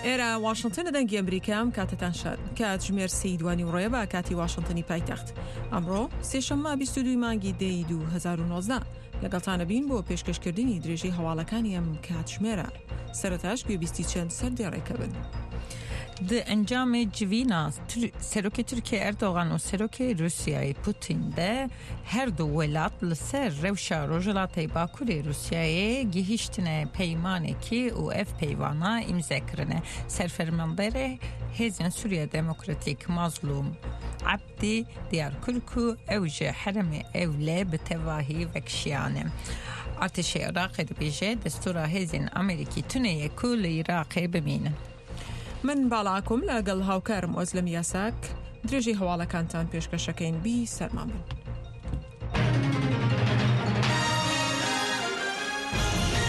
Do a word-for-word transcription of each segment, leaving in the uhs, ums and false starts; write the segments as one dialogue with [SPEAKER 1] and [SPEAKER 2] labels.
[SPEAKER 1] ئێرە واشنگتنە، دەنگی ئەمریکا. ئەم کاتەتان شاد. کاتژمێر سێی دوانیوەڕۆیە بە کاتی واشنگتنی پایتەخت. ئەمڕۆ سێشەممە بیست و دووی مانگی دەی دوو هەزار و نۆزدە لەگەڵتانە بین بۆ پێشکەشکردنی درێژەی هەواڵەکانی ئەم کاتژمێرە. سەرەتاش گوێبیستی چەند سەردێڕێکە بن.
[SPEAKER 2] Di encamê civîna Serokê Tirkiye Erdogan û Serokê Rûsyayê Putin de her du welat li ser rewşa Rojhilatê Bakurê Rûsyayê gihîştine peymanekî û ev peyvana îmze kirine. Serfermanderê Hêzên Sûriya Demokratîk Mazlûm Ebdî diyar kir ku ew ji herêmê ewle bi tevahî vekişiyane. Artêşê Iraqê dibêje destûra hêzên Amerîkî tune ye ku li Iraqê bimînin.
[SPEAKER 1] من باڵاکم لەگەڵ هاوکارم ئۆزلم یاساک درێژی هەواڵەکانتان پێشکەشەکەین. بی سەرمان بن.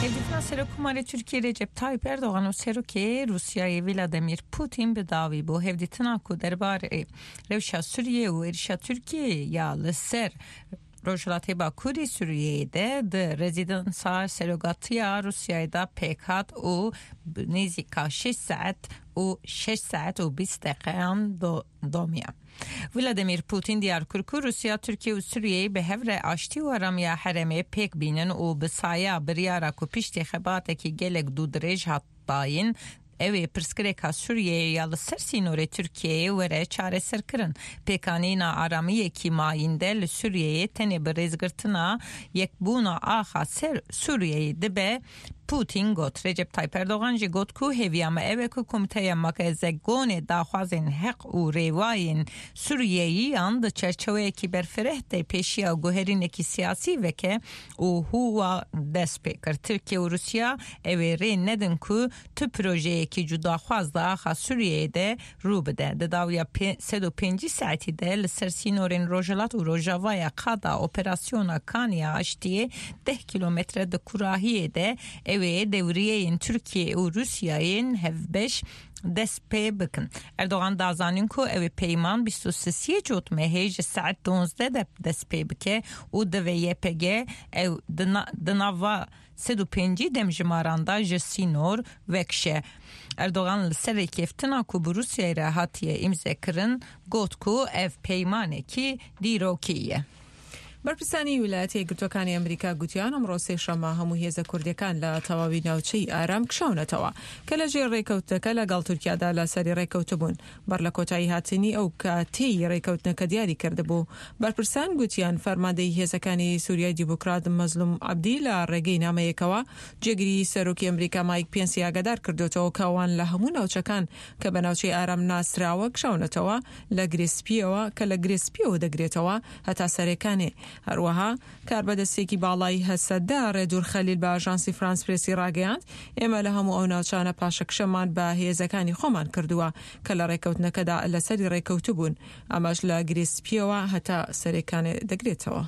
[SPEAKER 2] Hevdîtina Serokkomarê Tirkiye Recep Tayyip Erdogan û Serokê Rûsyayê Vladimir Putin bi dawî bû. Hevdîtina ku derbarê rewşa Sûriye û êrişa Tirkiyeyê ya li ser Rojhilatê Bakurê Sûriyeyê de di rezidansa Serokatiya Rûsyayê de pêk hat û nêzîka şeş saet û şeş saet û bîst deqeyan domiya. Vladimir Putin diyar kir ku Rûsya, Tirkiye û Sûriyeyê bi hev re aştî û aramiya herêmê pêk bînin û bi saya biryara ku piştî xebatekî gelek dûdirêj hat dayîn ew ê pirsgirêka Sûriyeyê ya li ser sînorê Tirkiyeyê were çareserkirin. Pêkanîna aramiyekî mayînde li Sûriyeyê tenê bi rêzgirtina yekbûna axa ser Sûriyeyê dibe. Putin got. Recep Tayyip Erdogan jî got ku hêviya me ew e ku Komîteya Makezegonê daxwazên heq û rêwayên Sûriyeyiyan di çerçeweyekî berfireh de pêşiya guherînekî siyasî veke û hûwa dest pê kir. Tirkiye û Rûsya ew ê rê nedin ku tu projeyekî cudaxwaz di axa Sûriyeyê de rû bide. Di dawiya sed û pêncî saetî de li ser sînorên Rojhilat û Rojavaya qada operasyona Kaniya Aştiyê deh kîlometre di kurahiyê de ew ê dewriyeyên Tirkiye û Rûsyayên hevbeş dest pê bikin. Erdogan da zanîn ku ew ê peyman bîst û sisiyê cotmehê ji saet duwazdeh de dest pê bike û divê Y P G ew di nava sed û pêncî demjimaran da ji sînor vekişe. Erdogan li ser rêkeftina ku bi Rûsyayê re hatiye îmzekirin got ku ev peymanekî dîrokî ye.
[SPEAKER 1] بەرپرسانی ویلایەتە یەکگرتووەکانی ئەمریکا گوتیان ئەمڕۆ سێشەممە هەموو هێزە کوردیەکان لە تەواوی ناوچەی ئارام کشاونەتەوە کە لەژێر ڕێکەوتنەکە لەگەڵ تورکیادا لەسەری ڕێکەوتبوون. بەر لە کۆتایی هاتنی ئەو کاتەی ڕێکەوتنەکە دیاری کردبوو. بەرپرسان گوتیان فەرماندەی هێزەکانی سووریای دیموکرات مەزلوم عەبدی لە ڕێگەی نامەیەکەوە جێگری سەرۆکی ئەمریکا مایک پێنسی ئاگادار کردوێتەوە کە ئەوان لە هەموو ناوچەکان کە بە ناوچەی ئارام ناسراوە کشاونەتەوە لە گرێسپیەوە کە لە گرێسپیەوە دەگرێتەوە هەتا سەرێکانێ. هەروەها کاربەدەستێکی باڵای هەسەدە ڕێدور خەلیل بە ئاژانسی فرانس پرێسی ڕاگەیاند ئێمە لە هەموو ئەو ناوچانە پاشەکشەمان بە هێزەکانی خۆمان کردووە کە لە ڕێکەوتنەکەدا لەسەری ڕێکەوتبوون. ئەمەش لە گرێسپیەوە هەتا سەرێکانێ دەگرێتەوە.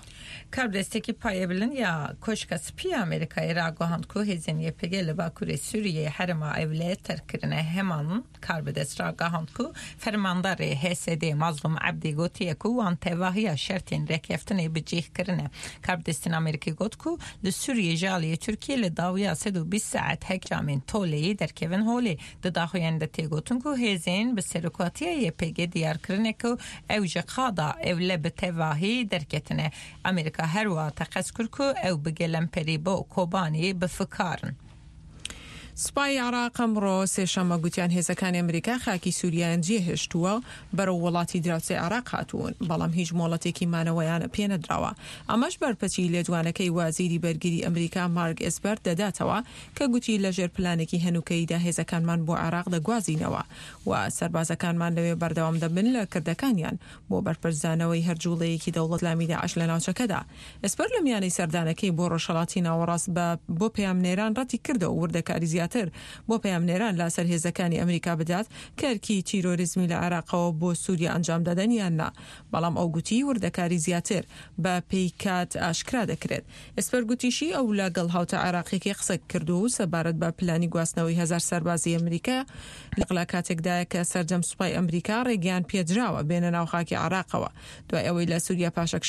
[SPEAKER 2] کاربەدەستێکی پایەبلند یا کۆشکە سپی ئەمریکای ڕاگەیاند ku hêzên Y P G li Bakurê Sûriyeyê herêma ewle terkirine. Heman karbidest ragihand ku fermandarê H S D Mazlûm Ebdî gotiye ku wan tevahiya şertên rêkeftinê bi cih kirine. Karbidestên Amerîkî got ku li Sûriyê ji aliyê Tirkiye li dawiya sed û bîst saet hekramên toleyê derkevin holê. Di daxuyanê de tê gotin ku hêzên bi serokatiya Y P G diyar kirine ku ew ji qada ewle bi tevahî derketine. Amerîka her wiha teqez kir ku ew bi gelemperî bo Kobaniyê bifikarin.
[SPEAKER 1] سوپای عێراق ئەمڕۆ سێشەممە گوتیان هێزەکانی ئەمریکا خاکی سووریایان جێهێشتووە بەرەو وڵاتی دراوسێ عێراق هاتوون، بەڵام هیچ مۆڵەتێکی مانەوەیان پێنەدراوە. ئەمەش بەرپەچی لێدوانەکەی وازیری بەرگری ئەمریکا مارک ئێسپەر دەداتەوە کە گوتی لەژێر پلانێکی هەنووکەیدا هێزەکانمان بۆ عێراق دەگوازینەوە و سەربازەکانمان لەوێ بەردەوام دەبن لە کردەکانیان بۆ بەرپەرچدانەوەی هەر جوڵەیەکی دەوڵەت لامی داعش لە ناوچەکەدا. ئێسپەر لە میانەی سەردانەکەی بۆ ڕۆژهەڵاتی ناوەڕاست بۆ پەیامنێران ڕەتی کردەوە وردەکاری زیاتر بۆ پەیامنێران لەسەر هێزەکانی ئەمریکا بدات کە ئەرکی تیرۆریزمی لە عێراقەوە بۆ سووریا ئەنجام دەدەن یان نا، بەڵام ئەو گوتی وردەکاری زیاتر بە پێیکات ئاشکرا دەکرێت. ئێسپەر گوتیشی ئەو لەگەڵ هاوتا عێراقیەکەی قسە کردو و سەبارەت بە پلانی گواستنەوەی هەزار سەربازی ئەمریکا لە کاتێکدایە کە سەرجەم سوپای ئەمریکا ڕێگەیان پێدراوە بێنە ناو خاکی عێراقەوە دوای ئەوەی لە سووریا پاشەکشە